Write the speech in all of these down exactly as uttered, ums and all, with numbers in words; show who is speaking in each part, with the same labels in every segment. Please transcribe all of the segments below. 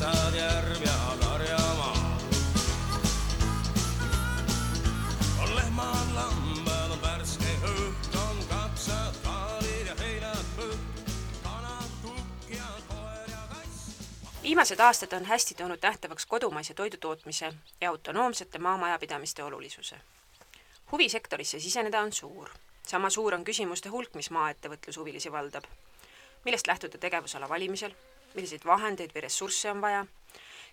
Speaker 1: metsad, järv ja karjamaa. On lehmad, lambad, on värske õht, on kapsad, kaalid ja heinad põht, kanad, kukk ja koer ja kass.
Speaker 2: Viimased aastad on hästi toonud nähtavaks kodumaise toidutootmise ja autonoomsete maamajapidamiste olulisuse. Huvi sektorisse siseneda on suur. Sama suur on küsimuste hulk, mis maaettevõtlushuvilisi valdab. Millest lähtuda tegevusala valimisel? Milliseid vahendeid või ressursse on vaja?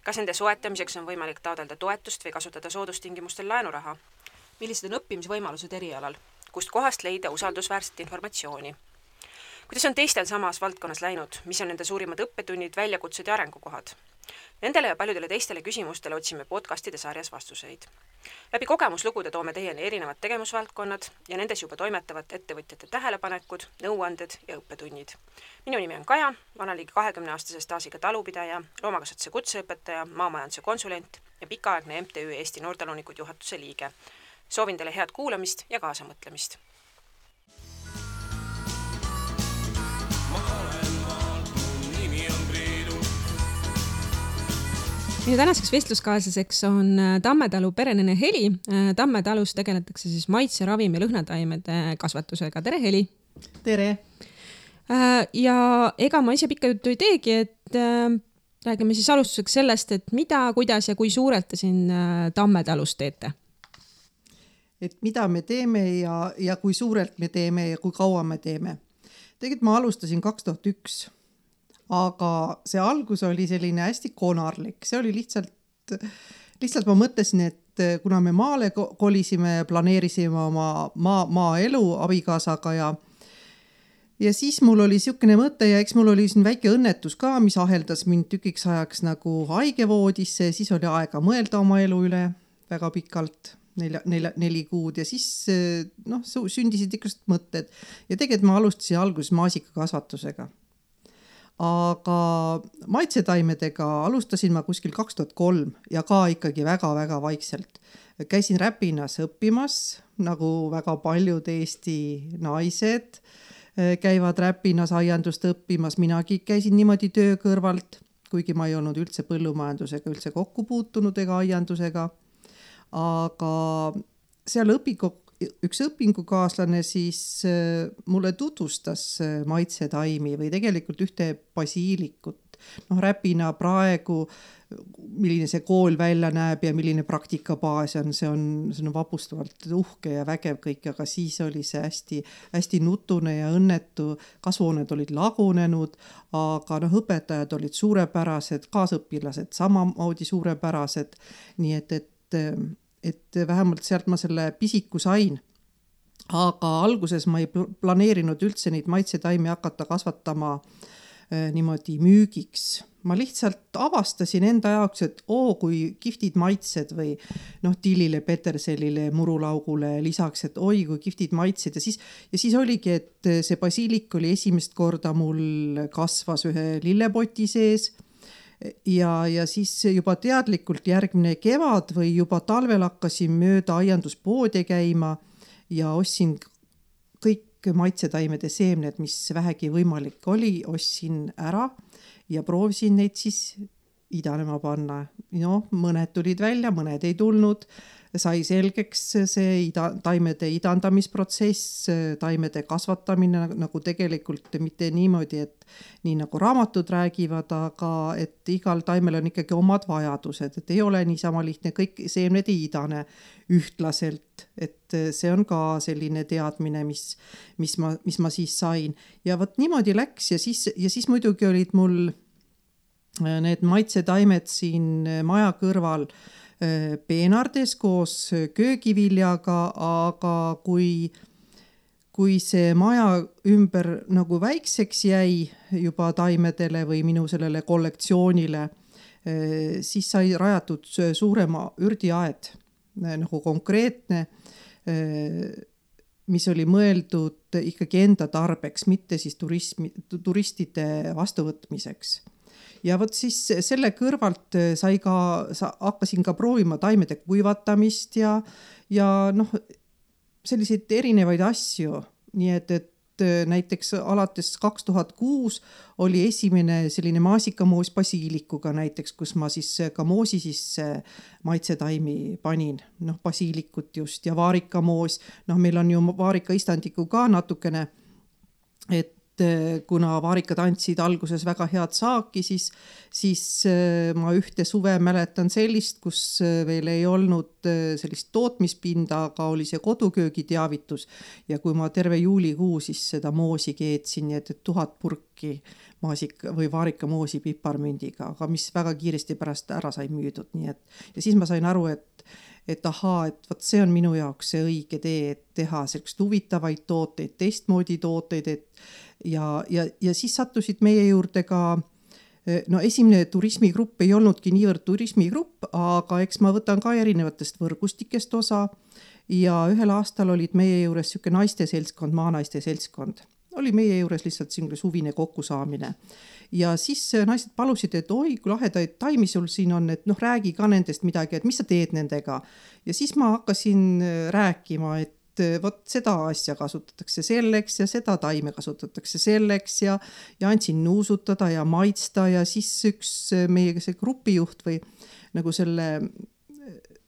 Speaker 2: Kas nende soetamiseks on võimalik taotleda toetust või kasutada soodustingimustel laenuraha? Millised on õppimisvõimalused erialal? Kust kohast leida usaldusväärset informatsiooni? Kuidas on teistel samas valdkonnas läinud? Mis on nende suurimad õppetunnid, väljakutsed ja arengukohad? Nendele ja paljudele teistele küsimustele otsime podcastide sarjas vastuseid. Läbi kogemuslugude toome teieni erinevad tegevusvaldkonnad ja nendes juba toimetavad ettevõtjate tähelepanekud, nõuanded ja õppetunnid. Minu nimi on Kaja, olen ligi kahekümne aastase staasiga talupidaja, loomakasvatuse kutseõpetaja, maamajanduse konsulent ja pikaaegne M T Ü Eesti Noortalunikud juhatuse liige. Soovin teile head kuulamist ja kaasamõtlemist. Minu tänaseks vestluskaaslaseks on Tammetalu perenene Heli. Tammetalus tegeletakse siis maitse, ravim ja lõhnataimede kasvatusega. Tere, Heli!
Speaker 3: Tere!
Speaker 2: Ja ega ma ise pikka juttu ei teegi, et räägime siis alustuseks sellest, et mida, kuidas ja kui suurelt te siin Tammetalus teete?
Speaker 3: Et mida me teeme ja, ja kui suurelt me teeme ja kui kaua me teeme. Tegelikult ma alustasin kaks tuhat üks. Aga see algus oli selline hästi konarlik. See oli lihtsalt, lihtsalt ma mõtlesin, et kuna me maale kolisime ja planeerisime oma maa, maaelu abikaasaga ja, ja siis mul oli siukene mõte ja eks mul oli siin väike õnnetus ka, mis aheldas mind tükiks ajaks nagu haigevoodisse, siis oli aega mõelda oma elu üle väga pikalt, nelja, nelja, neli kuud ja siis noh, sündisid ikka mõtted ja tegelikult ma alustasin alguses maasikakasvatusega. Aga maitsetaimedega alustasin ma kuskil kaks tuhat kolm ja ka ikkagi väga-väga vaikselt. Käisin Räpinas õppimas, nagu väga paljud Eesti naised käivad Räpinas aiandust õppimas. Minagi käisin niimoodi töö kõrvalt, kuigi ma ei olnud üldse põllumajandusega üldse kokku puutunud ega aiandusega. Aga seal õpikok üks õpingukaaslane siis mulle tutvustas maitsetaimi või tegelikult ühte basiilikut. Noh, Räpina praegu, milline see kool välja näeb ja milline praktikabaas on, see on, see on vapustavalt uhke ja vägev kõik, aga siis oli see hästi, hästi nutune ja õnnetu. Kasvuhooned olid lagunenud, aga noh, õpetajad olid suurepärased, kaasõpilased samamoodi suurepärased, nii et, et et vähemalt sealt ma selle pisiku sain. Aga alguses ma ei planeerinud üldse neid maitsetaimi hakata kasvatama äh, niimoodi müügiks. Ma lihtsalt avastasin enda jaoks, et oo, kui kihvtid maitsed või noh, tillile, peterselile, murulaugule lisaks, et oi, kui kihvtid maitsed. Ja siis, ja siis oligi, et see basiilik oli esimest korda mul kasvas ühe lillepoti sees. Ja, ja siis juba teadlikult järgmine kevad või juba talvel hakkasin mööda aianduspoode käima ja ostsin kõik maitsetaimede seemned, mis vähegi võimalik oli, ostsin ära ja proovisin neid siis idanema panna. No, mõned tulid välja, mõned ei tulnud. Sai selgeks see ida, taimede idandamisprotsess, taimede kasvatamine nagu tegelikult mitte niimoodi, et nii nagu raamatud räägivad, aga et igal taimel on ikkagi omad vajadused, et ei ole niisama lihtne, kõik seemned ei idane ühtlaselt, et see on ka selline teadmine, mis, mis, ma, mis ma siis sain. Ja võt niimoodi läks ja siis, ja siis muidugi olid mul need maitsetaimed siin maja kõrval peenardes koos köögiviljaga, aga kui, kui see maja ümber nagu väikseks jäi juba taimedele või minu sellele kollektsioonile, siis sai rajatud suurema ürdiaed, nagu konkreetne, mis oli mõeldud ikkagi enda tarbeks, mitte siis turismi, turistide vastuvõtmiseks. Ja võt siis selle kõrvalt sai ka, sa, hakkasin ka proovima taimede kuivatamist ja, ja noh, selliseid erinevaid asju. Nii et, et näiteks alates kaks tuhat kuus oli esimene selline maasikamoos basiilikuga näiteks, kus ma siis ka moosi sisse maitsetaimi panin, noh basiilikut just ja vaarikamoos, noh meil on ju vaarika istandiku ka natukene, et kuna vaarikad andsid alguses väga head saaki, siis, siis ma ühte suve mäletan sellist, kus veel ei olnud sellist tootmispinda, aga oli see koduköögi teavitus ja kui ma terve juulikuu siis seda moosi keetsin, nii et, et tuhat purki maasik või vaarika moosi piparmündiga, aga mis väga kiiresti pärast ära sai müüdud, nii et ja siis ma sain aru, et et ahaa, et võt see on minu jaoks see õige tee, et teha sellist huvitavaid tooteid, teistmoodi tooteid, et ja, ja, ja siis sattusid meie juurde ka, no esimene turismigrupp ei olnudki niivõrd turismigrupp, aga eks ma võtan ka erinevatest võrgustikest osa ja ühel aastal olid meie juures siuke naiste seltskond, maanaiste seltskond. Oli meie juures lihtsalt selline suvine kokkusaamine. Ja siis naised palusid, et oi, kui lahedaid taimi sul siin on, et noh, räägi ka nendest midagi, et mis sa teed nendega. Ja siis ma hakkasin rääkima, et võt seda asja kasutatakse selleks ja seda taime kasutatakse selleks ja, ja andsin nuusutada ja maitsta ja siis üks meie see grupijuht või nagu selle,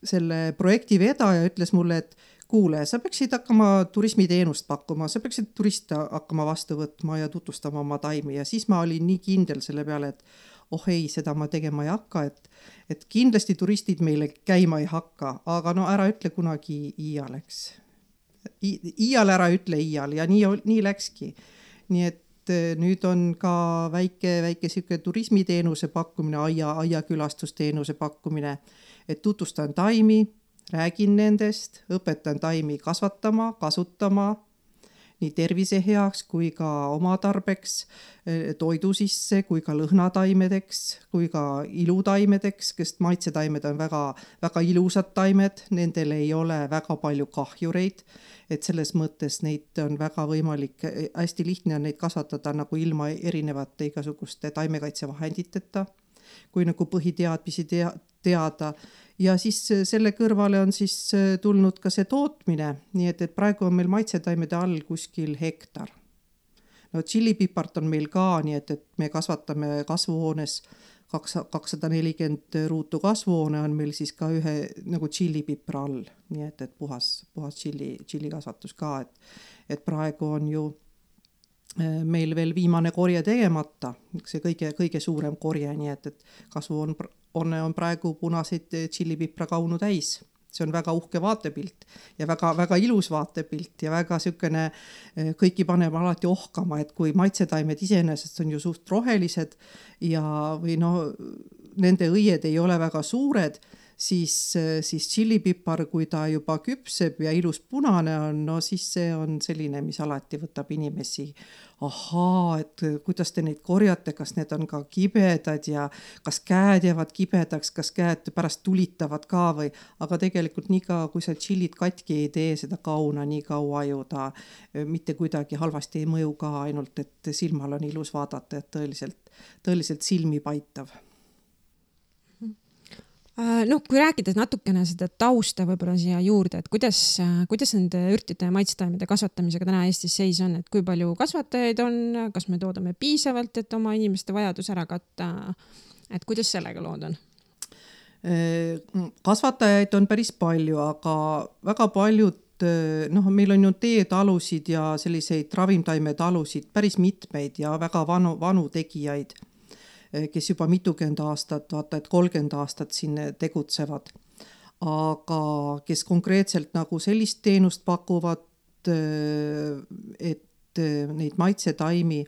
Speaker 3: selle projekti vedaja ütles mulle, et kuule, sa peaksid hakkama turismiteenust pakkuma, sa peaksid turiste hakkama vastu võtma ja tutvustama oma taimi ja siis ma olin nii kindel selle peale, et oh ei, seda ma tegema ei hakka, et, et kindlasti turistid meile käima ei hakka, aga no ära ütle kunagi iialeks. I, iial ära ütle iial ja nii, nii läkski. Nii et nüüd on ka väike, väike siuke turismiteenuse pakkumine, aia, aiakülastusteenuse pakkumine, et tutvustan taimi, räägin nendest, õpetan taimi kasvatama, kasutama nii tervise heaks kui ka oma tarbeks, toidu sisse kui ka lõhnataimedeks, kui ka ilutaimedeks, kes maitsetaimed on väga, väga ilusad taimed, nendel ei ole väga palju kahjureid, et selles mõttes neid on väga võimalik, hästi lihtne on neid kasvatada nagu ilma erinevate igasuguste taimekaitsevahenditeta, kui nagu põhiteadmisi tea, teada. Ja siis selle kõrvale on siis tulnud ka see tootmine, nii et, et praegu on meil maitsetaimede all kuskil hektar. No tšillipipart on meil ka, nii et, et me kasvatame kasvuhoones kakssada nelikümmend ruutu kasvuhoone on meil siis ka ühe nagu tšillipipra all, nii et, et puhas, puhas tšilli, tšillikasvatus ka, et, et praegu on ju meil veel viimane korje tegemata, see kõige, kõige suurem korje, nii et, et kasvuhoon on, on praegu punaseid tšillipipra kaunu täis. See on väga uhke vaatepilt ja väga, väga ilus vaatepilt ja väga sükene, kõiki paneb alati ohkama, et kui maitsetaimed iseenesest on ju suht rohelised ja või no, nende õied ei ole väga suured, siis, siis tšillipipar, kui ta juba küpseb ja ilus punane on, no siis see on selline, mis alati võtab inimesi. Ahaa, et kuidas te neid korjate, kas need on ka kibedad ja kas käed jäävad kibedaks, kas käed pärast tulitavad ka või, aga tegelikult nii ka, kui sa tšillit katki ei tee seda kauna, nii kaua ju ta mitte kuidagi halvasti ei mõju ka, ainult et silmal on ilus vaadata, et tõeliselt, tõeliselt silmi paitav.
Speaker 4: No, kui rääkides natukene seda tausta võibolla siia juurde, et kuidas, kuidas nende ürtide ja maitsetaimede kasvatamisega täna Eestis seis on, et kui palju kasvatajaid on, kas me toodame piisavalt, et oma inimeste vajadus ära katta, et kuidas sellega lood on?
Speaker 3: Kasvatajaid on päris palju, aga väga paljud, noh, meil on ju teetalusid ja selliseid ravimtaimetalusid päris mitmeid ja väga vanu, vanu tegijaid, kes juba mitukümmend aastat, vaata, et kolmkümmend aastat siin tegutsevad. Aga kes konkreetselt nagu sellist teenust pakuvad, et neid maitsetaimi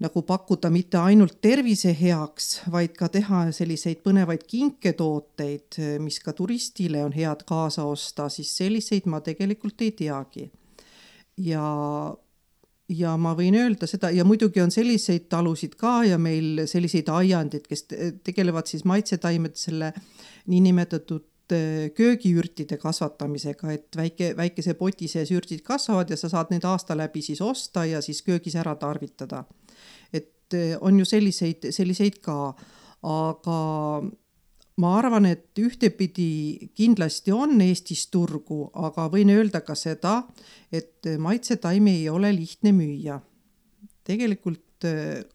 Speaker 3: nagu pakkuda mitte ainult tervise heaks, vaid ka teha selliseid põnevaid kinketooteid, mis ka turistile on head kaasa osta, siis selliseid ma tegelikult ei teagi. Ja Ja ma võin öelda seda, ja muidugi on selliseid talusid ka ja meil selliseid aiandid, kes tegelevad siis maitsetaimed selle niinimetatud köögiürtide kasvatamisega, et väike, väikese poti sees ürtid kasvavad ja sa saad need aasta läbi siis osta ja siis köögis ära tarvitada. Et on ju selliseid, selliseid ka, aga ma arvan, et ühtepidi kindlasti on Eestis turgu, aga võin öelda ka seda, et maitsetaimi ei ole lihtne müüa. Tegelikult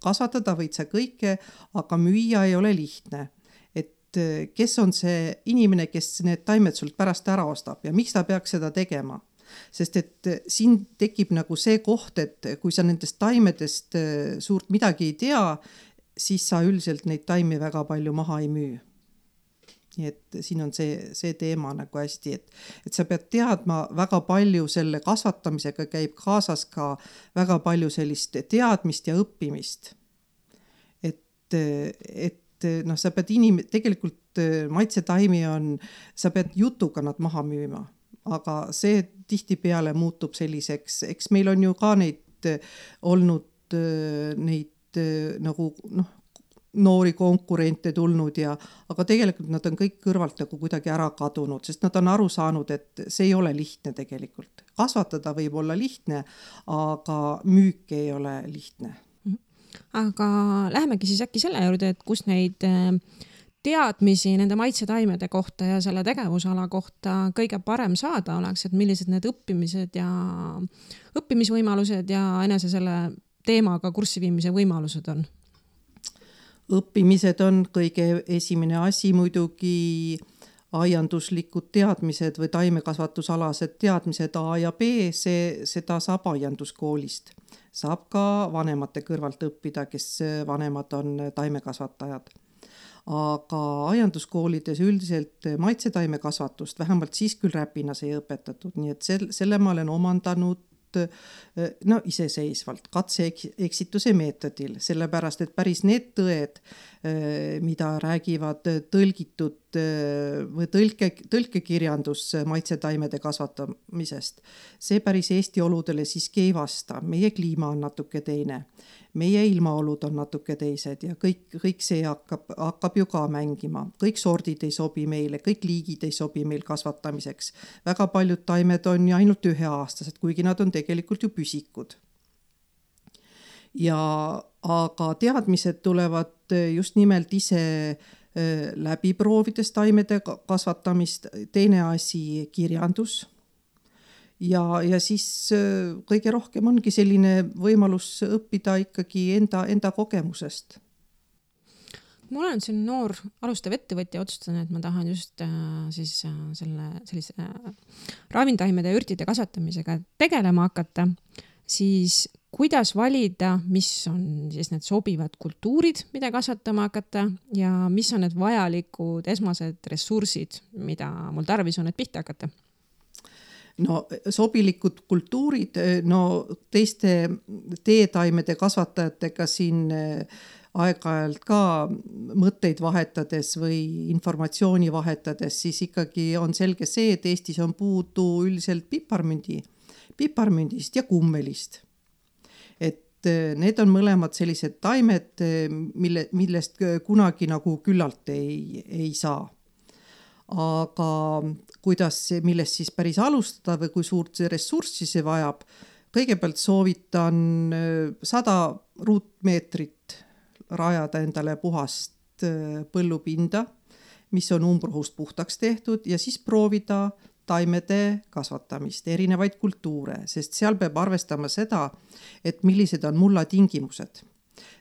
Speaker 3: kasvatada võid sa kõike, aga müüa ei ole lihtne. Et kes on see inimene, kes need taimed sult pärast ära ostab ja miks ta peaks seda tegema? Sest et siin tekib nagu see koht, et kui sa nendest taimedest suurt midagi ei tea, siis sa üldiselt neid taimi väga palju maha ei müü. Nii et siin on see, see teema nagu hästi, et, et sa pead teadma väga palju selle kasvatamisega käib kaasas ka väga palju sellist teadmist ja õppimist. Et, et noh, sa pead inim-, tegelikult maitsetaimi on, sa pead jutuga nad maha müüma. Aga see tihtipeale muutub selliseks, eks meil on ju ka neid olnud neid nagu noh, noori konkurente tulnud ja, aga tegelikult nad on kõik kõrvalt nagu kuidagi ära kadunud, sest nad on aru saanud, et see ei ole lihtne tegelikult. Kasvatada võib olla lihtne, aga müük ei ole lihtne.
Speaker 4: Aga lähemegi siis äkki selle juurde, et kus neid teadmisi nende maitsetaimede kohta ja selle tegevusala kohta kõige parem saada oleks, et millised need õppimised ja õppimisvõimalused ja enese selle teemaga kurssi viimise võimalused on?
Speaker 3: Õppimised on kõige esimene asi muidugi aianduslikud teadmised või taimekasvatusalased teadmised A ja B, see, seda saab aianduskoolist. Saab ka vanemate kõrvalt õppida, kes vanemad on taimekasvatajad. Aga aianduskoolides üldiselt maitsetaimekasvatust vähemalt siis küll Räpinas ei õpetatud, nii et selle, selle ma olen omandanud no iseseisvalt katse-eksituse meetodil, sellepärast, et päris need tõed, mida räägivad tõlgitud või tõlke, tõlkekirjandus maitsetaimede kasvatamisest, see päris Eesti oludele siiski ei vasta. Meie kliima on natuke teine. Meie ilmaolud on natuke teised ja kõik, kõik see hakkab, hakkab ju ka mängima. Kõik sordid ei sobi meile, kõik liigid ei sobi meil kasvatamiseks. Väga paljud taimed on ju ainult üheaastased, kuigi nad on tegelikult ju püsikud. Ja, aga teadmised tulevad just nimelt ise läbi proovides taimede kasvatamist, teine asi kirjandus. Ja, ja siis kõige rohkem ongi selline võimalus õppida ikkagi enda, enda kogemusest.
Speaker 4: Ma olen siin noor alustav ettevõtja, otsustan, et ma tahan just äh, siis, äh, selle, sellise äh, ravintaimede ja ürtide kasvatamisega tegelema hakata, siis kuidas valida, mis on siis need sobivad kultuurid, mida kasvatama hakata ja mis on need vajalikud esmased ressursid, mida mul tarvis on, et pihta hakata?
Speaker 3: No sobilikud kultuurid, no teiste teetaimede kasvatajatega siin aeg-ajalt ka mõtteid vahetades või informatsiooni vahetades, siis ikkagi on selge see, et Eestis on puudu üldiselt piparmündi, piparmündist ja kummelist. Et need on mõlemad sellised taimed, mille, millest kunagi nagu küllalt ei, ei saa. Aga kuidas, millest siis päris alustada või kui suurt ressurssi see vajab, kõigepealt soovitan sada ruutmeetrit rajada endale puhast põllupinda, mis on umbrohust puhtaks tehtud ja siis proovida taimede kasvatamist, erinevaid kultuure, sest seal peab arvestama seda, et millised on mulla tingimused.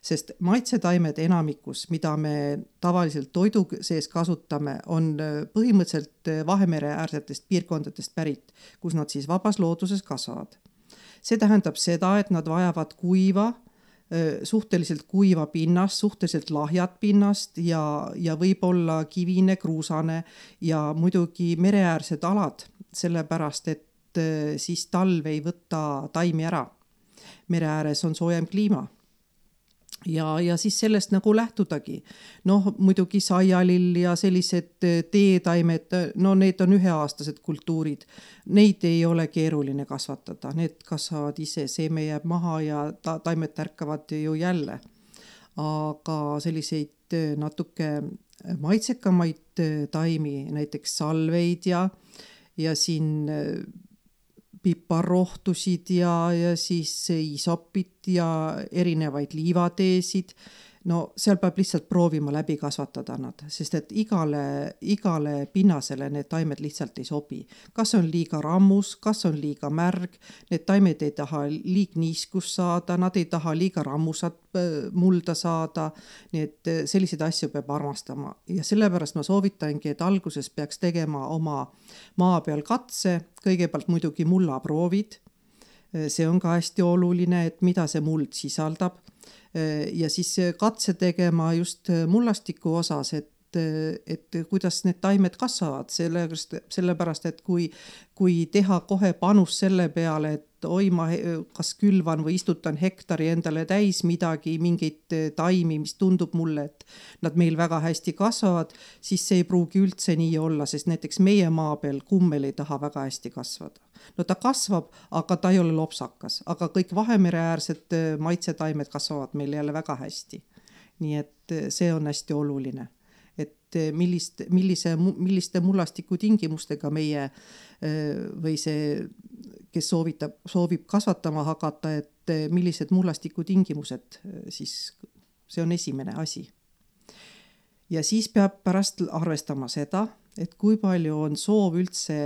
Speaker 3: Sest maitsetaimed enamikus, mida me tavaliselt toidu sees kasutame, on põhimõtteliselt Vahemere äärsetest piirkondadest pärit, kus nad siis vabas looduses kasvavad. See tähendab seda, et nad vajavad kuiva, suhteliselt kuiva pinnast, suhteliselt lahjat pinnast ja, ja võib-olla kivine, kruusane ja muidugi mereäärsed alad, sellepärast et siis talv ei võta taimi ära. Mere ääres on soojem kliima. Ja, ja siis sellest nagu lähtudagi. Noh, muidugi saialill ja sellised teetaimed, no need on üheaastased kultuurid. Neid ei ole keeruline kasvatada. Need kasvavad ise, seeme jääb maha ja ta, taimed tärkavad ju jälle. Aga selliseid natuke maitsekamaid taimi, näiteks salveid ja, ja siin piparrohtusid ja, ja siis isopit ja erinevaid liivateesid. no seal peab lihtsalt proovima läbi kasvatada nad, sest et igale, igale pinnasele need taimed lihtsalt ei sobi. Kas on liiga rammus, kas on liiga märg, need taimed ei taha liig niiskust saada, nad ei taha liiga rammusat mulda saada, nii et selliseid asju peab armastama. Ja sellepärast ma soovitangi, et alguses peaks tegema oma maa peal katse, kõigepealt muidugi mullaproovid. See on ka hästi oluline, et mida see muld sisaldab. Ja siis katse tegema just mullastiku osas, et, et kuidas need taimed kasvavad, sellepärast, sellepärast et kui, kui teha kohe panus selle peale, et oi, ma kas külvan või istutan hektari endale täis midagi, mingeid taimi, mis tundub mulle, et nad meil väga hästi kasvavad, siis see ei pruugi üldse nii olla, sest näiteks meie maa peal kummel ei taha väga hästi kasvada. No ta kasvab, aga ta ei ole lopsakas, aga kõik Vahemereäärsed maitsetaimed kasvavad meil jälle väga hästi. Nii et see on hästi oluline, et millist, millise, milliste mullastiku tingimustega meie või see, kes soovitab, soovib kasvatama hakata, et millised mullastiku tingimused, siis see on esimene asi. Ja siis peab pärast arvestama seda, et kui palju on soov üldse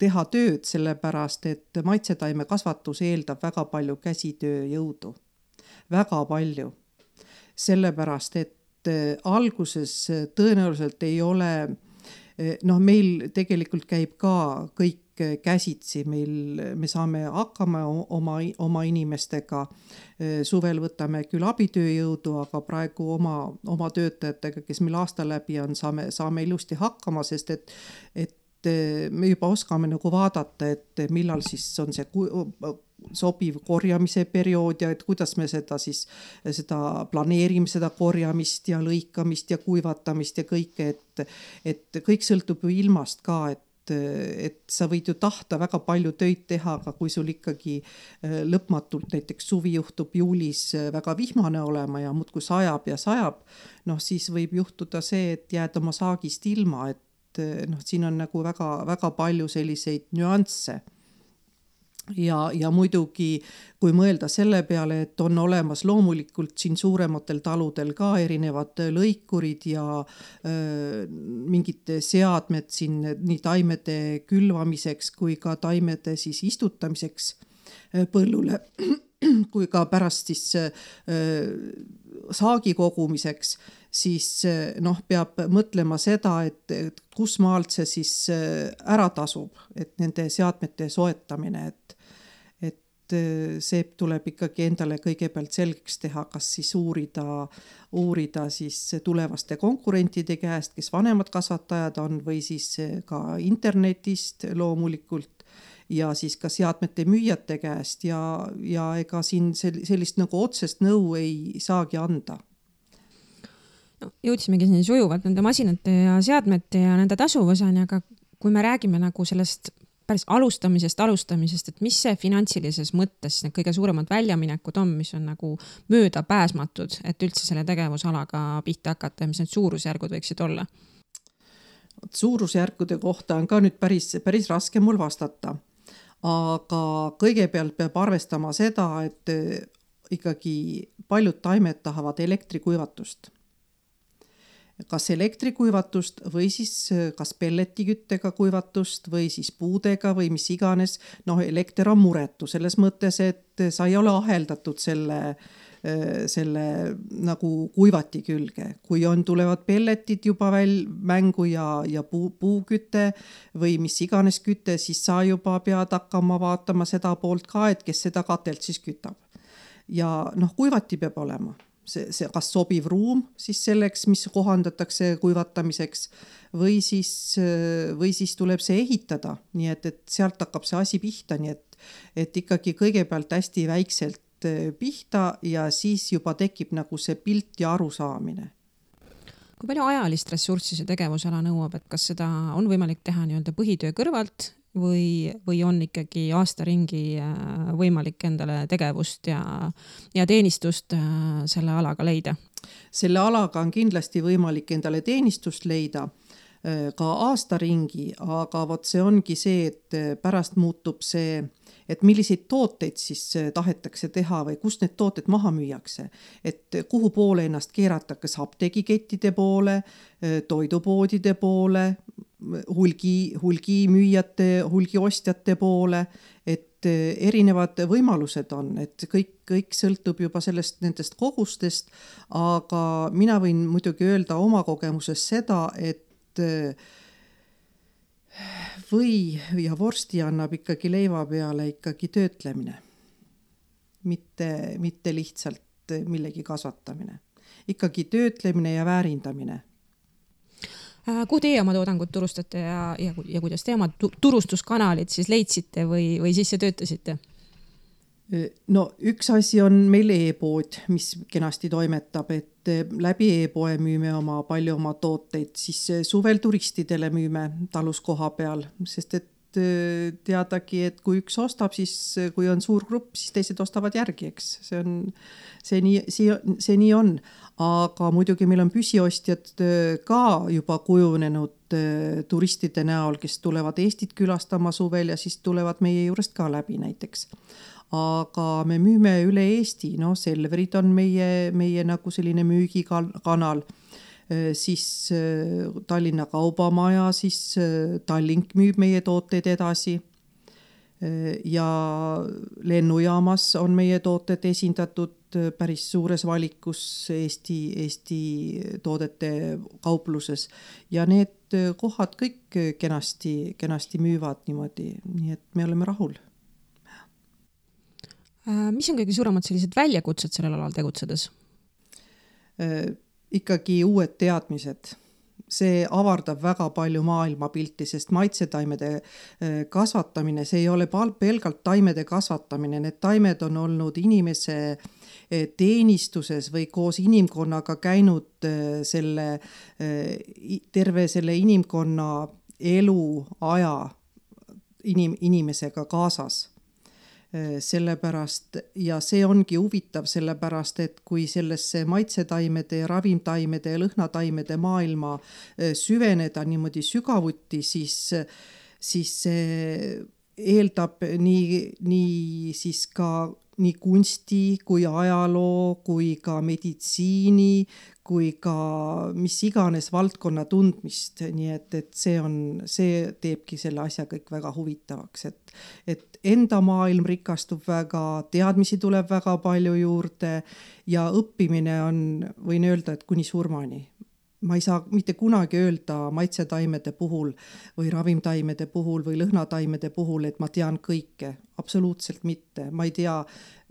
Speaker 3: teha tööd, sellepärast, et maitsetaime kasvatus eeldab väga palju käsitöö jõudu. Väga palju. Sellepärast, et alguses tõenäoliselt ei ole, noh meil tegelikult käib ka kõik käsitsi, meil, me saame hakkama oma, oma inimestega, suvel võtame küll abitööjõudu, aga praegu oma, oma töötajatega, kes meil aasta läbi on, saame, saame ilusti hakkama, sest et, et me juba oskame nagu vaadata, et millal siis on see sobiv korjamise periood ja et kuidas me seda siis seda planeerime, seda korjamist ja lõikamist ja kuivatamist ja kõike, et, et kõik sõltub ju ilmast ka, et, et sa võid ju tahta väga palju töid teha, aga kui sul ikkagi lõpmatult näiteks suvi juhtub juulis väga vihmane olema ja muudkui sajab ja sajab, noh siis võib juhtuda see, et jääd oma saagist ilma, et noh, siin on nagu väga, väga palju selliseid nüansse. Ja, ja muidugi, kui mõelda selle peale, et on olemas loomulikult siin suurematel taludel ka erinevad lõikurid ja öö, mingid seadmed siin nii taimede külvamiseks kui ka taimede siis istutamiseks põllule, kui ka pärast siis öö, saagi kogumiseks, siis noh, peab mõtlema seda, et, et kus maalt see siis ära tasub, et nende seadmete soetamine, et, et see tuleb ikkagi endale kõigepealt selgeks teha, kas siis uurida, uurida siis tulevaste konkurentide käest, kes vanemad kasvatajad on või siis ka internetist loomulikult ja siis ka seadmete müüjate käest ja, ja ega siin sellist nagu otsest nõu ei saagi anda.
Speaker 4: No, jõudsimegi siin sujuvalt nende masinate ja seadmete ja nende tasuvusani, aga kui me räägime nagu sellest päris alustamisest, alustamisest, et mis see finantsilises mõttes need kõige suuremad väljaminekud on, mis on nagu mööda pääsmatud, et üldse selle tegevusalaga pihta hakata ja mis need suurusjärgud võiksid olla? Suurusjärgude
Speaker 3: kohta on ka nüüd päris, päris raske mul vastata, aga kõigepealt peab arvestama seda, et ikkagi paljud taimed tahavad elektrikuivatust. Kas elektrikuivatust või siis kas pelletiküttega kuivatust või siis puudega või mis iganes. Noh, elekter on muretu selles mõttes, et sa ei ole aheldatud selle, selle nagu kuivati külge. Kui on tulevad pelletid juba väl mängu ja, ja puu, puuküte või mis iganes küte, siis sa juba pead hakkama vaatama seda poolt ka, et kes seda katelt siis kütab. Ja noh, kuivati peab olema. See, see kas sobiv ruum siis selleks, mis kohandatakse kuivatamiseks või siis, või siis tuleb see ehitada, nii et, et sealt hakkab see asi pihta, nii et, et ikkagi kõigepealt hästi väikselt pihta ja siis juba tekib nagu see pilt ja arusaamine.
Speaker 4: Kui palju ajalist ressurssi see tegevusala nõuab, et kas seda on võimalik teha nii-öelda põhitöö kõrvalt või, või on ikkagi aasta ringi võimalik endale tegevust ja, ja teenistust selle alaga leida?
Speaker 3: Selle alaga on kindlasti võimalik endale teenistust leida, ka aastaringi, aga vot see ongi see, et pärast muutub see, et milliseid tooteid siis tahetakse teha või kust need tooted maha müüakse. Et kuhu poole ennast keerata, kas apteegikettide poole, toidupoodide poole, hulgi, hulgi müüjate, hulgi ostjate poole, et erinevad võimalused on, et kõik, kõik sõltub juba sellest nendest kogustest, aga mina võin muidugi öelda oma kogemuses seda, et või ja vorsti annab ikkagi leiva peale ikkagi töötlemine, mitte, mitte lihtsalt millegi kasvatamine. Ikkagi töötlemine ja väärindamine.
Speaker 4: Kuhu teie oma toodangut turustate ja, ja, ja kuidas te oma turustuskanalid siis leidsite või, või sisse töötasite?
Speaker 3: No üks asi on meil e-pood, mis kenasti toimetab, et läbi e-poe müüme oma palju oma tooteid, siis suvel turistidele müüme talus koha peal, sest et teadagi, et kui üks ostab, siis kui on suur grupp, siis teised ostavad järgi, eks. See on, see nii, see, see nii on. Aga muidugi meil on püsiostjad ka juba kujunenud turistide näol, kes tulevad Eestit külastama suvel ja siis tulevad meie juurest ka läbi näiteks. Aga me müüme üle Eesti, no Selverid on meie, meie nagu selline müügikanal, siis Tallinna Kaubamaja, siis Tallink müüb meie tooteid edasi ja lennujaamas on meie tooted esindatud päris suures valikus Eesti, Eesti toodete kaupluses ja need kohad kõik kenasti, kenasti müüvad niimoodi, nii et me oleme rahul.
Speaker 4: Mis on kõige suuremad sellised väljakutsed sellel alal tegutsedes?
Speaker 3: Ikkagi uued teadmised. See avardab väga palju maailmapilti, sest maitsetaimede kasvatamine, see ei ole pelgalt taimede kasvatamine. Need taimed on olnud inimese teenistuses või koos inimkonnaga käinud selle, terve selle inimkonna elu aja inim, inimesega kaasas. Sellepärast, ja see ongi huvitav sellepärast, et kui sellesse maitsetaimede, ravimtaimede ja lõhnataimede maailma süveneda niimoodi sügavuti, siis, siis see eeldab nii, nii siis ka nii kunsti kui ajaloo, kui ka meditsiini, kui ka mis iganes valdkonna tundmist. Nii et, et see, on, see teebki selle asja kõik väga huvitavaks. Et, et enda maailm rikastub väga, teadmisi tuleb väga palju juurde ja õppimine on, võin öelda, et kuni surmani. Ma ei saa mitte kunagi öelda maitsetaimede puhul või ravimtaimede puhul või lõhnataimede puhul, et ma tean kõike. Absoluutselt mitte. Ma ei tea,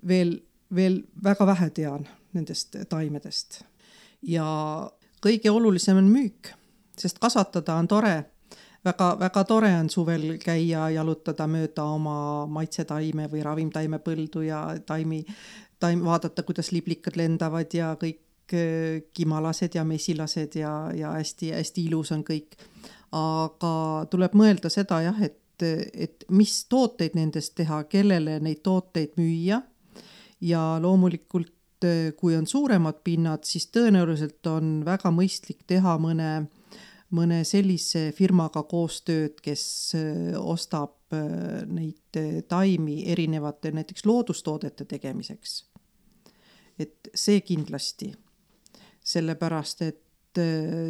Speaker 3: veel, veel väga vähe tean nendest taimedest. Ja kõige olulisem on müük, sest kasvatada on tore. Väga, väga tore on suvel käia jalutada mööda oma maitsetaime või ravimtaime põldu ja taimi, taim, vaadata, kuidas liblikad lendavad ja kõik kimalased ja mesilased ja, ja hästi, hästi ilus on kõik. Aga tuleb mõelda seda jah, et, et mis tooteid nendest teha, kellele neid tooteid müüa ja loomulikult kui on suuremad pinnad, siis tõenäoliselt on väga mõistlik teha mõne, mõne sellise firmaga koostööd, kes ostab neid taimi erinevate näiteks loodustoodete tegemiseks. Et see kindlasti. Sellepärast, et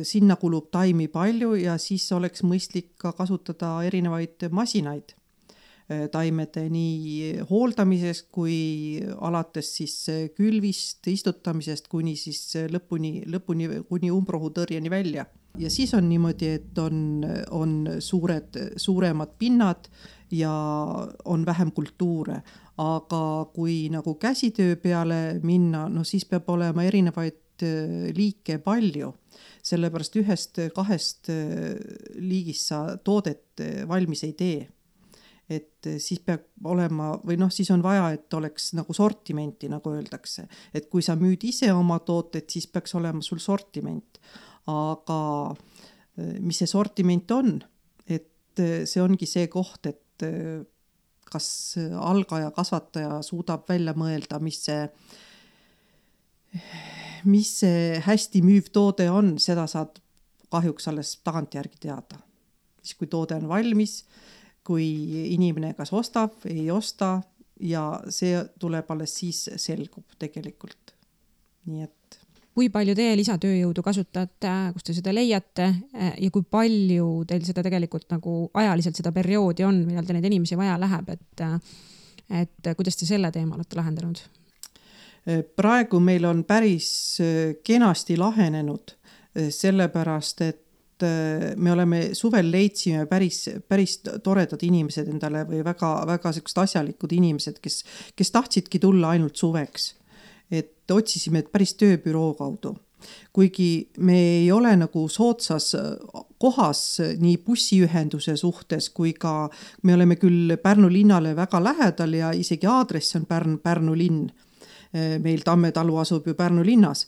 Speaker 3: sinna kulub taimi palju ja siis oleks mõistlik ka kasutada erinevaid masinaid taimede nii hooldamisest kui alates siis külvist, istutamisest kuni siis lõpuni, lõpuni kuni umbrohutõrjeni välja. Ja siis on niimoodi, et on, on suured, suuremad pinnad ja on vähem kultuure. Aga kui nagu käsitöö peale minna, no siis peab olema erinevaid liike palju, sellepärast ühest kahest liigist sa toodet valmis ei tee. Et siis peab olema, või noh, siis on vaja, et oleks nagu sortimenti, nagu öeldakse. Et kui sa müüd ise oma tooted, siis peaks olema sul sortiment. Aga mis see sortiment on? Et see ongi see koht, et kas algaja kasvataja suudab välja mõelda, mis see mis see hästi müüv toode on, seda saad kahjuks alles tagantjärgi teada. Siis kui toode on valmis, kui inimene kas ostab, ei osta ja see tuleb alles siis selgub tegelikult. Nii et
Speaker 4: kui palju teie lisatööjõudu kasutate, kus te seda leiate ja kui palju teil seda tegelikult nagu ajaliselt seda perioodi on, millal te neid inimesi vaja läheb, et, et kuidas te selle teema olete lahendanud?
Speaker 3: Praegu meil on päris kenasti lahenenud, sellepärast, et me oleme suvel leidsime päris, päris toredad inimesed endale või väga, väga sellised asjalikud inimesed, kes, kes tahtsidki tulla ainult suveks. Et otsisime päris tööbüroo kaudu. Kuigi me ei ole nagu soodsas kohas nii bussiühenduse suhtes, kui ka me oleme küll Pärnu linnale väga lähedal ja isegi aadress on Pärn, Pärnu linn. Meil Tamme talu asub ju Pärnu linnas.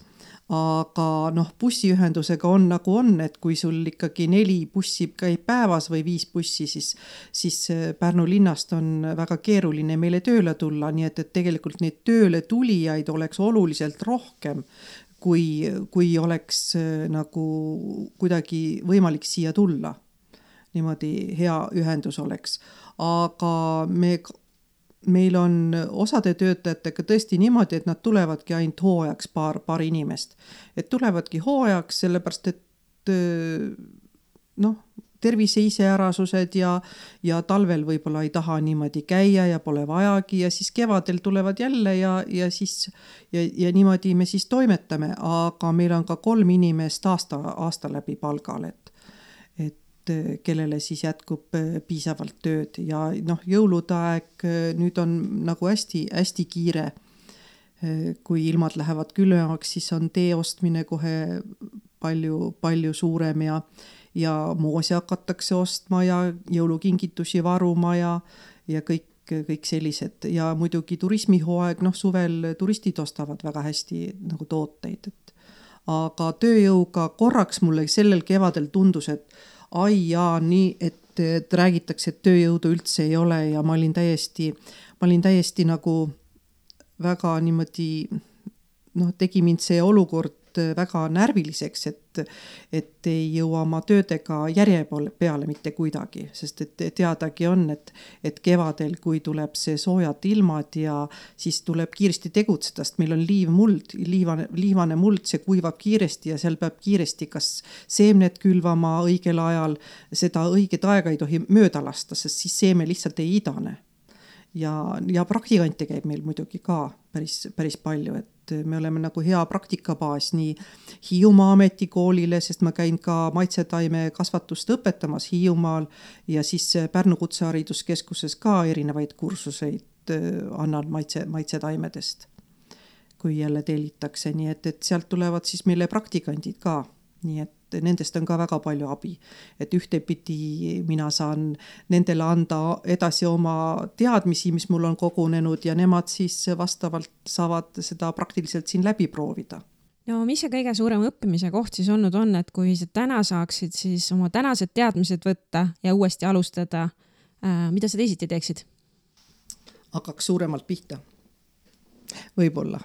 Speaker 3: Aga noh, bussiühendusega on nagu on, et kui sul ikkagi neli bussi käib päevas või viis bussi, siis, siis Pärnu linnast on väga keeruline meile tööle tulla, nii et, et tegelikult neid tööle tulijaid oleks oluliselt rohkem, kui, kui oleks nagu kuidagi võimalik siia tulla. Niimoodi hea ühendus oleks. Aga me Meil on osade töötajatega tõesti niimoodi, et nad tulevadki ainult hooajaks paar, paar inimest. Et tulevadki hooajaks, sellepärast, et noh, tervise iseärasused ja, ja talvel võib-olla ei taha niimoodi käia ja pole vajagi ja siis kevadel tulevad jälle ja, ja, siis, ja, ja niimoodi me siis toimetame, aga meil on ka kolm inimest aasta, aasta läbi palgal, et kellele siis jätkub piisavalt tööd ja noh, jõulude aeg nüüd on nagu hästi, hästi kiire. Kui ilmad lähevad külmemaks, siis on tee ostmine kohe palju, palju suurem ja, ja moosi hakatakse ostma ja jõulukingitusi varuma ja, ja kõik, kõik sellised. Ja muidugi turismihooaeg, noh suvel turistid ostavad väga hästi nagu tooteid. Et, aga tööjõuga korraks mulle sellel kevadel tundus, et ai jaa, nii, et, et räägitakse, et tööjõudu üldse ei ole ja ma olin täiesti, ma olin täiesti nagu väga niimoodi, noh, tegi mind see olukord väga närviliseks, et, et ei jõua oma töödega järje peale mitte kuidagi, sest et teadagi on, et, et kevadel, kui tuleb see soojad ilmad ja siis tuleb kiiresti tegutseda, sest meil on liivmuld, liivane, liivane muld, see kuivab kiiresti ja seal peab kiiresti kas seemned külvama õigel ajal, seda õiget aega ei tohi mööda lasta, sest siis seeme lihtsalt ei idane. Ja, ja praktikante käib meil muidugi ka päris, päris palju, et me oleme nagu hea praktikabaas nii Hiiumaa ametikoolile, sest ma käin ka maitsetaime kasvatust õpetamas Hiiumaal ja siis Pärnu kutsehariduskeskuses ka erinevaid kursuseid annan maitse, maitsetaimedest, kui jälle tellitakse, nii et, et sealt tulevad siis meile praktikandid ka, nii et nendest on ka väga palju abi, et ühtepidi mina saan nendele anda edasi oma teadmisi, mis mul on kogunenud ja nemad siis vastavalt saavad seda praktiliselt siin läbi proovida.
Speaker 4: No mis see kõige suurem õppimise koht siis olnud on, et kui sa täna saaksid siis oma tänased teadmised võtta ja uuesti alustada, mida sa teisiti teeksid?
Speaker 3: Hakkaks suuremalt pihta. Võib-olla.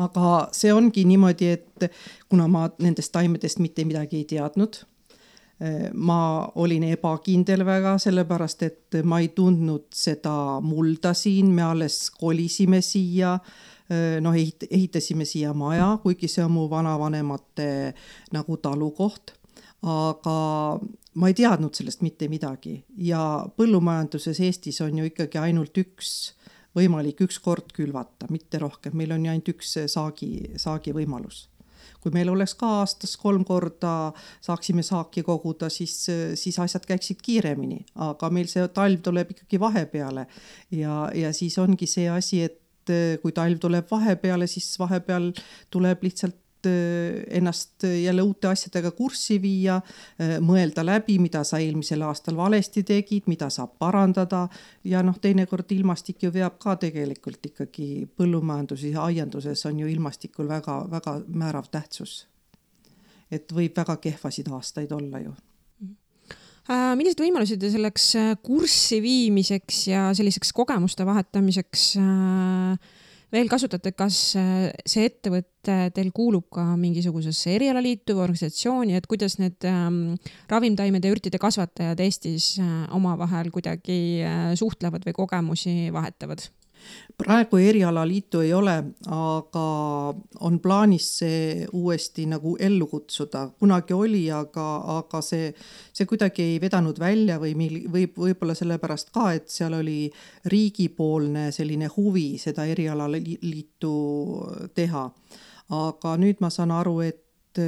Speaker 3: Aga see ongi niimoodi, et kuna ma nendest taimedest mitte midagi ei teadnud, ma olin ebakindel väga, sellepärast, et ma ei tundnud seda mulda siin, me alles kolisime siia, noh, ehitasime siia maja, kuigi see on mu vanavanemate nagu talukoht, aga ma ei teadnud sellest mitte midagi ja põllumajanduses Eestis on ju ikkagi ainult üks võimalik üks kord külvata, mitte rohkem. Meil on ju ainult üks saagi, saagi võimalus. Kui meil oleks ka aastas kolm korda saaksime saaki koguda, siis, siis asjad käiksid kiiremini. Aga meil see talv tuleb ikkagi vahepeale ja, ja siis ongi see asi, et kui talv tuleb vahepeale, siis vahepeal tuleb lihtsalt ennast jälle uute asjadega kurssi viia, mõelda läbi, mida sa eelmisel aastal valesti tegid, mida saab parandada ja noh, teinekord ilmastik ju veab ka tegelikult ikkagi põllumajanduses ja aianduses on ju ilmastikul väga, väga määrav tähtsus. Et võib väga kehvasid aastaid olla ju.
Speaker 4: Millised võimalused selleks kurssi viimiseks ja selliseks kogemuste vahetamiseks veel kasutate, kas see ettevõte teil kuulub ka mingisugusesse erialaliitu või organisatsiooni, et kuidas need ähm, ravimtaimede ja ürtide kasvatajad Eestis äh, omavahel kuidagi äh, suhtlevad või kogemusi vahetavad?
Speaker 3: Praegu erialaliitu ei ole, aga on plaanis see uuesti nagu ellu kutsuda. Kunagi oli, aga, aga see, see kuidagi ei vedanud välja või võib, võib-olla sellepärast ka, et seal oli riigipoolne selline huvi seda erialaliitu teha. Aga nüüd ma saan aru, et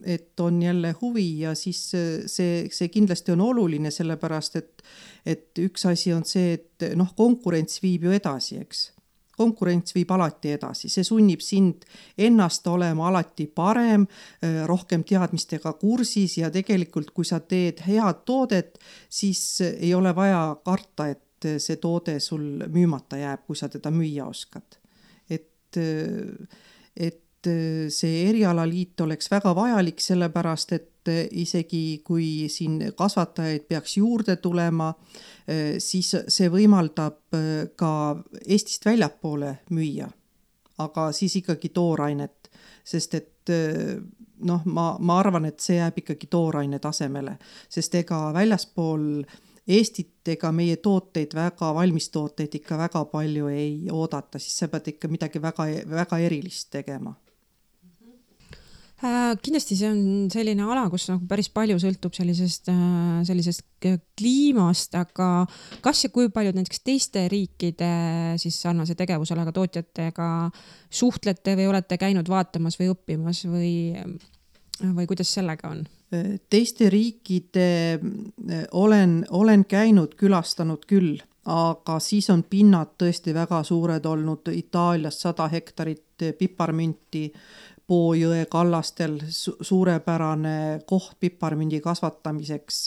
Speaker 3: et on jälle huvi ja siis see, see kindlasti on oluline, sellepärast, et, et üks asi on see, et noh, konkurents viib ju edasi, eks. Konkurents viib alati edasi, see sunnib sind ennast olema alati parem, rohkem teadmistega kursis ja tegelikult, kui sa teed head toodet, siis ei ole vaja karta, et see toode sul müümata jääb, kui sa teda müüa oskad. Et, et see erialaliit oleks väga vajalik, sellepärast, et isegi kui siin kasvatajaid peaks juurde tulema, siis see võimaldab ka Eestist väljapoole müüa, aga siis ikkagi toorainet, sest et noh, ma, ma arvan, et see jääb ikkagi tooraine tasemele, sest ega väljaspool Eestit ega meie tooteid, väga valmistooteid ikka väga palju ei oodata, siis sa pead ikka midagi väga, väga erilist tegema.
Speaker 4: Kindlasti see on selline ala, kus nagu päris palju sõltub sellisest, sellisest kliimast, aga kas ja kui paljud näiteks teiste riikide siis sarnase tegevusalaga tootjatega suhtlete või olete käinud vaatamas või õppimas või, või kuidas sellega on?
Speaker 3: Teiste riikide olen, olen käinud, külastanud küll, aga siis on pinnad tõesti väga suured olnud, Itaalias sada hektarit piparmünti, Poojõe kallastel suurepärane koht piparmündi kasvatamiseks,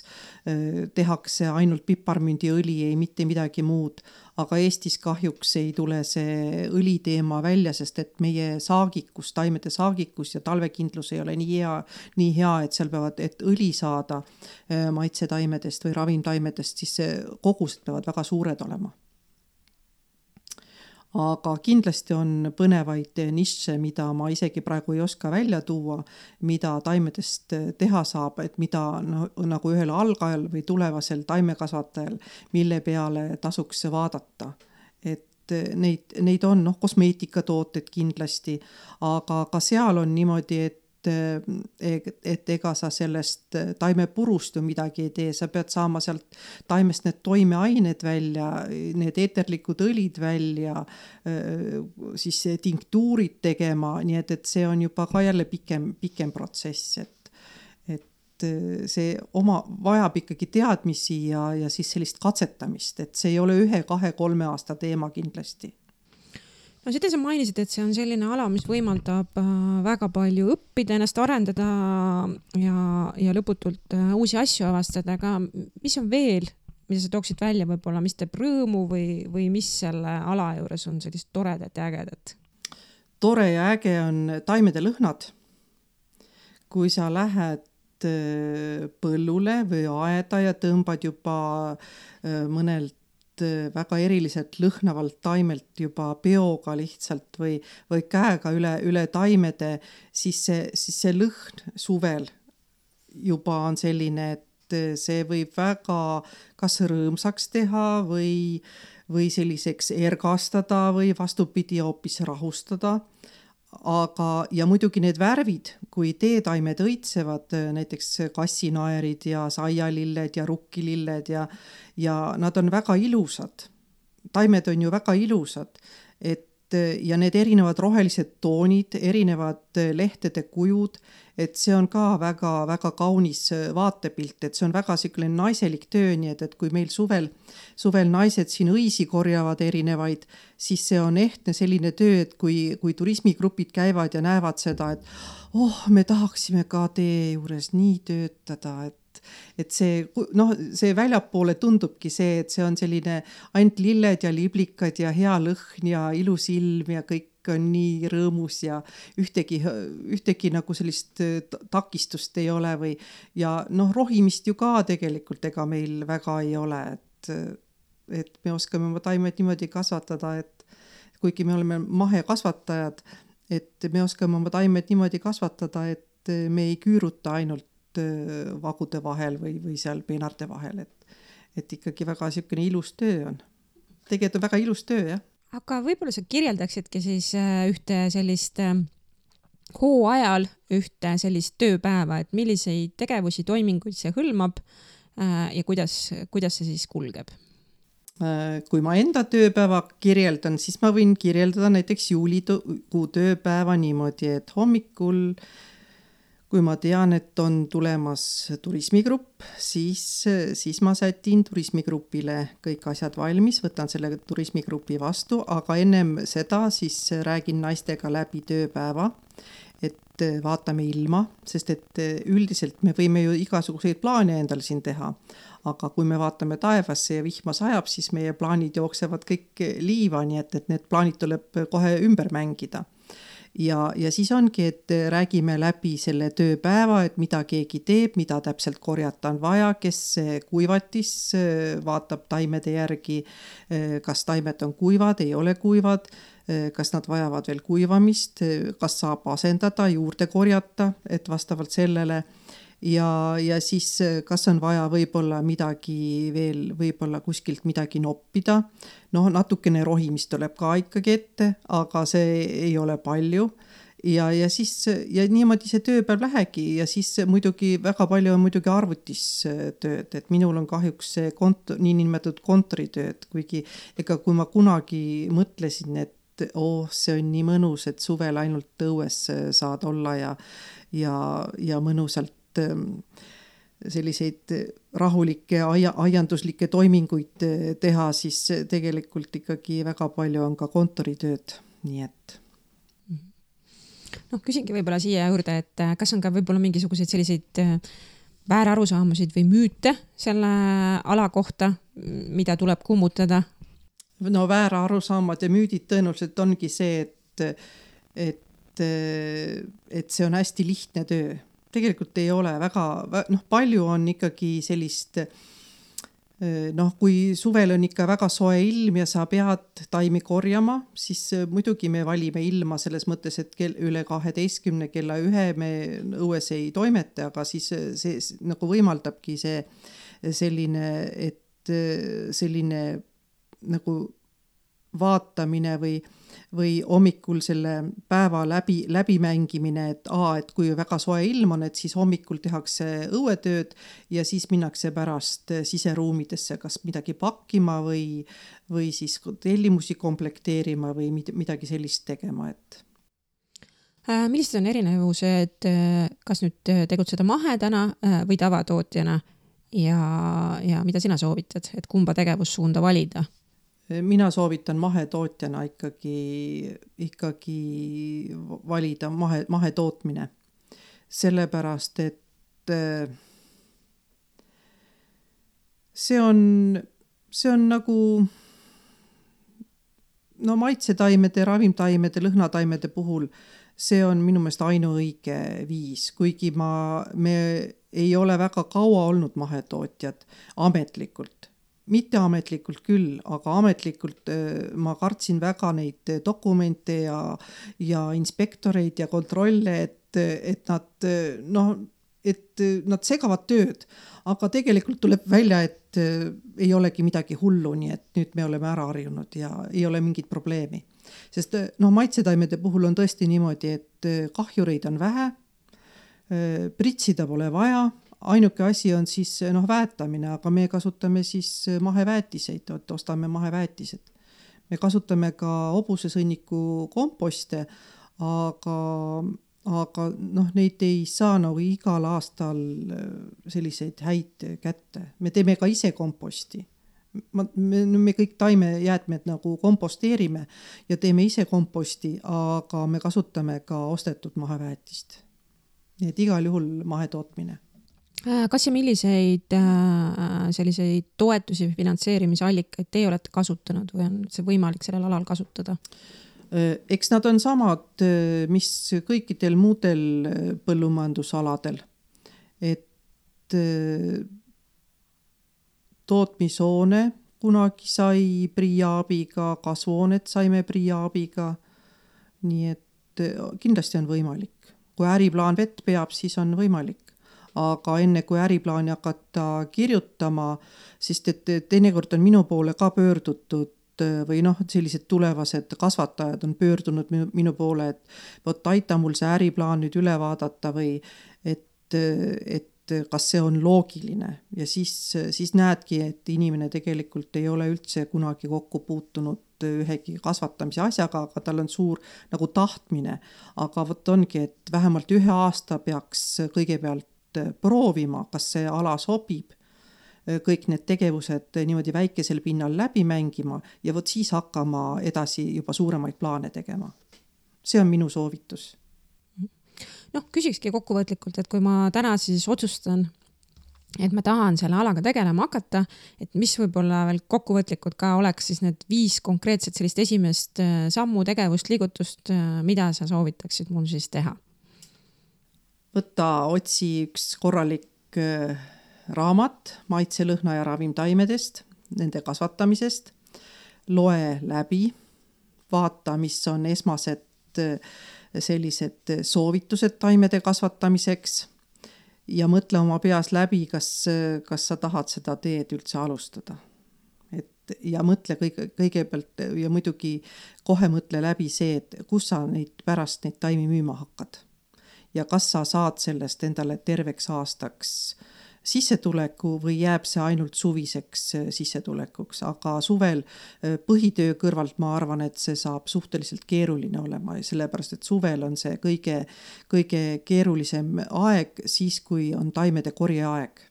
Speaker 3: tehakse ainult piparmündiõli, ei mitte midagi muud, aga Eestis kahjuks ei tule see õliteema välja, sest et meie saagikus, taimede saagikus ja talvekindlus ei ole nii hea, nii hea, et seal peavad, et õli saada maitsetaimedest või ravimtaimedest, siis kogused peavad väga suured olema. Aga kindlasti on põnevaid nišše, mida ma isegi praegu ei oska välja tuua, mida taimedest teha saab, et mida no, nagu ühel algajal või tulevasel taimekasvatajal, mille peale tasuks vaadata. Et neid, neid on noh, kosmeetikatooted kindlasti, aga ka seal on niimoodi, et et ega sa sellest taimepurust ju midagi ei tee, sa pead saama sealt taimest need toimeained välja, need eeterlikud õlid välja, siis tinktuurid tegema, nii et, et see on juba ka jälle pikem, pikem protsess, et, et see oma vajab ikkagi teadmisi ja, ja siis sellist katsetamist, et see ei ole ühe, kahe, kolme aasta teema kindlasti.
Speaker 4: No seda sa mainisid, et see on selline ala, mis võimaldab väga palju õppida, ennast arendada ja, ja lõputult uusi asju avastada, aga mis on veel, mida sa tooksid välja võib-olla, mis teeb rõõmu või, või mis selle ala juures on sellist toredat ja ägedat?
Speaker 3: Tore ja äge on taimede lõhnad. Kui sa lähed põllule või aeda ja tõmbad juba mõnelt väga eriliselt lõhnavalt taimelt juba peoga lihtsalt või, või käega üle, üle taimede, siis see, siis see lõhn suvel juba on selline, et see võib väga kas rõõmsaks teha või, või selliseks ergastada või vastupidi hoopis rahustada. Aga, ja muidugi need värvid, kui teetaimed õitsevad, näiteks kassinaerid ja saialilled ja rukkililled ja, ja nad on väga ilusad. Taimed on ju väga ilusad, et ja need erinevad rohelised toonid, erinevad lehtede kujud, et see on ka väga, väga kaunis vaatepilt, et see on väga selline naiselik töö, nii et, et kui meil suvel, suvel naised siin õisi korjavad erinevaid, siis see on ehtne selline töö, et kui, kui turismigrupid käivad ja näevad seda, et oh, me tahaksime ka tee juures nii töötada, et et see, noh, see väljapoole tundubki see, et see on selline ainult lilled ja liblikad ja hea lõhn ja ilus ilm ja kõik on nii rõõmus ja ühtegi, ühtegi nagu sellist takistust ei ole või ja noh, rohimist ju ka tegelikult ega meil väga ei ole, et, et me oskame oma taimed niimoodi kasvatada, et kuigi me oleme mahekasvatajad, et me oskame oma taimed niimoodi kasvatada, et me ei küüruta ainult vagude vahel või, või seal peenarte vahel, et, et ikkagi väga niisugune ilus töö on. Tegelikult on väga ilus töö, jah.
Speaker 4: Aga võib-olla sa kirjeldaksidki siis ühte sellist hooajal ühte sellist tööpäeva, et milliseid tegevusi, toiminguid see hõlmab ja kuidas, kuidas see siis kulgeb?
Speaker 3: Kui ma enda tööpäeva kirjeldan, siis ma võin kirjeldada näiteks juulikuu tööpäeva niimoodi, et hommikul, kui ma tean, et on tulemas turismigrupp, siis, siis ma sätin turismigrupile kõik asjad valmis, võtan selle turismigrupi vastu, aga ennem seda siis räägin naistega läbi tööpäeva, et vaatame ilma, sest et üldiselt me võime ju igasuguseid plaane endal siin teha, aga kui me vaatame taevasse ja vihma sajab, siis meie plaanid jooksevad kõik liiva, nii et, et need plaanid tuleb kohe ümber mängida. Ja, ja siis ongi, et räägime läbi selle tööpäeva, et mida keegi teeb, mida täpselt korjata on vaja, kes kuivatis vaatab taimede järgi, kas taimed on kuivad, ei ole kuivad, kas nad vajavad veel kuivamist, kas saab asendada, juurde korjata, et vastavalt sellele ja, ja siis kas on vaja võib-olla midagi veel, võib-olla kuskilt midagi noppida. No natukene rohimist tuleb ka ikkagi ette, aga see ei ole palju. Ja, ja siis ja niimoodi see tööpäev lähegi ja siis muidugi väga palju on muidugi arvutistööd, et minul on kahjuks see kont- nii nimetatud kontoritööd, kuigi ega kui ma kunagi mõtlesin, et oh, see on nii mõnus, et suvel ainult õues saad olla ja, ja, ja mõnusalt selliseid rahulikke aia, aianduslikke toiminguid teha, siis tegelikult ikkagi väga palju on ka kontoritööd, nii et
Speaker 4: noh, küsingi võib-olla siia juurde, et kas on ka võib-olla mingisuguseid selliseid väärarusaamasid või müüte selle ala kohta, mida tuleb kummutada?
Speaker 3: No väärarusaamad ja müüdid tõenäoliselt ongi see, et, et, et see on hästi lihtne töö. Tegelikult ei ole väga, noh, palju on ikkagi sellist, noh, kui suvel on ikka väga soe ilm ja sa pead taimi korjama, siis muidugi me valime ilma selles mõttes, et kell, üle kaheteistkümne kella ühe me õues ei toimete, aga siis see nagu võimaldabki see selline, et selline nagu vaatamine või või hommikul selle päeva läbi, läbi mängimine, et aa, et kui väga soe ilm on, et siis hommikul tehakse õuetööd ja siis minnakse pärast siseruumidesse kas midagi pakkima või, või siis tellimusi komplekteerima või midagi sellist tegema, et
Speaker 4: millised on erinevused, kas nüüd tegutseda mahedana või tavatootjana ja, ja mida sina soovitad, et kumba tegevussuunda valida?
Speaker 3: Mina soovitan mahetootjana ikkagi, ikkagi valida mahe, mahetootmine. Sellepärast, et see on, see on nagu no maitsetaimede, ravimtaimede, lõhnataimede puhul see on minu meelest ainuõige viis, kuigi ma, me ei ole väga kaua olnud mahetootjad ametlikult. Mitte ametlikult küll, aga ametlikult ma kartsin väga neid dokumente ja, ja inspektoreid ja kontrolle, et, et nad, noh, et nad segavad tööd, aga tegelikult tuleb välja, et ei olegi midagi hullu, nii et nüüd me oleme ära harjunud ja ei ole mingit probleemi. Sest noh, maitsetaimede puhul on tõesti niimoodi, et kahjureid on vähe, pritsida pole vaja, ainuke asi on siis noh, väetamine, aga me kasutame siis maheväetiseid, ostame maheväetised. Me kasutame ka hobusesõnniku komposte, aga, aga noh, neid ei saa nagu igal aastal selliseid häid kätte. Me teeme ka ise komposti. Me, me kõik taimejäätmed nagu komposteerime ja teeme ise komposti, aga me kasutame ka ostetud maheväetist. Nii et igal juhul mahetootmine.
Speaker 4: Kas ja milliseid selliseid toetusi või finantseerimisallikaid teie olete kasutanud või on see võimalik sellel alal kasutada?
Speaker 3: Eks nad on samad, mis kõikidel muudel põllumajandusaladel. Et tootmishoone kunagi sai PRIA abiga, kasvuhoonet saime PRIA abiga. Nii et kindlasti on võimalik. Kui äriplaan vett peab, siis on võimalik. Aga enne kui äriplaani hakata kirjutama, siis et teinekord on minu poole ka pöördutud või noh, sellised tulevased kasvatajad on pöördunud minu, minu poole, et võt, aita mul see äriplaan nüüd üle vaadata või et, et kas see on loogiline. Ja siis, siis näedki, et inimene tegelikult ei ole üldse kunagi kokku puutunud ühegi kasvatamise asjaga, aga tal on suur nagu tahtmine. Aga võt ongi, et vähemalt ühe aasta peaks kõigepealt proovima, kas see ala sobib, kõik need tegevused niimoodi väikesel pinnal läbi mängima ja võt siis hakkama edasi juba suuremaid plaane tegema. See on minu soovitus.
Speaker 4: Noh, küsikski kokkuvõtlikult, et kui ma täna siis otsustan, et ma tahan selle alaga tegelema hakata, et mis võib-olla veel kokkuvõtlikult ka oleks siis need viis konkreetset sellist esimest sammu tegevust, liigutust, mida sa soovitaksid mul siis teha?
Speaker 3: Võtta, otsi üks korralik raamat maitse, lõhna ja ravimtaimedest, nende kasvatamisest, loe läbi, vaata, mis on esmased sellised soovitused taimede kasvatamiseks ja mõtle oma peas läbi, kas, kas sa tahad seda teed üldse alustada. Et, ja mõtle kõige, kõigepealt ja muidugi kohe mõtle läbi see, et kus sa neid pärast neid taimi müüma hakkad. Ja kas sa saad sellest endale terveks aastaks sissetuleku või jääb see ainult suviseks sissetulekuks, aga suvel põhitöö kõrvalt ma arvan, et see saab suhteliselt keeruline olema, sellepärast et suvel on see kõige, kõige keerulisem aeg siis, kui on taimede korjeaeg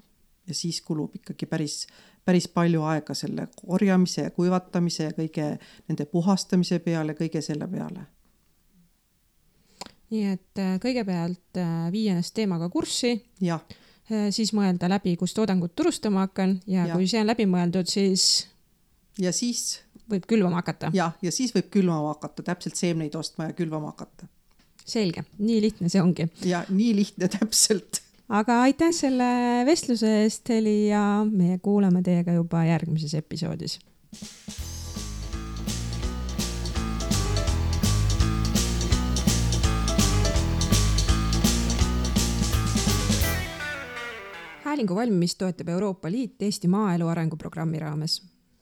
Speaker 3: ja siis kulub ikkagi päris, päris palju aega selle korjamise ja kuivatamise ja kõige nende puhastamise peale, kõige selle peale.
Speaker 4: Nii et kõigepealt viia ennast teemaga kurssi.
Speaker 3: Jah.
Speaker 4: Siis mõelda läbi, kus toodangut turustama hakkan ja, ja kui see on läbi mõeldud, siis
Speaker 3: ja siis
Speaker 4: võib külvama hakata.
Speaker 3: Ja, ja siis võib külvama hakata, täpselt seemneid ostma ja külvama hakata.
Speaker 4: Selge, nii lihtne see ongi.
Speaker 3: Ja nii lihtne täpselt.
Speaker 4: Aga aitäh selle vestluse eest, Heli, ja me kuulame teiega juba järgmises episoodis. Häälingu valmimist toetab Euroopa Liit Eesti maaelu arenguprogrammi raames.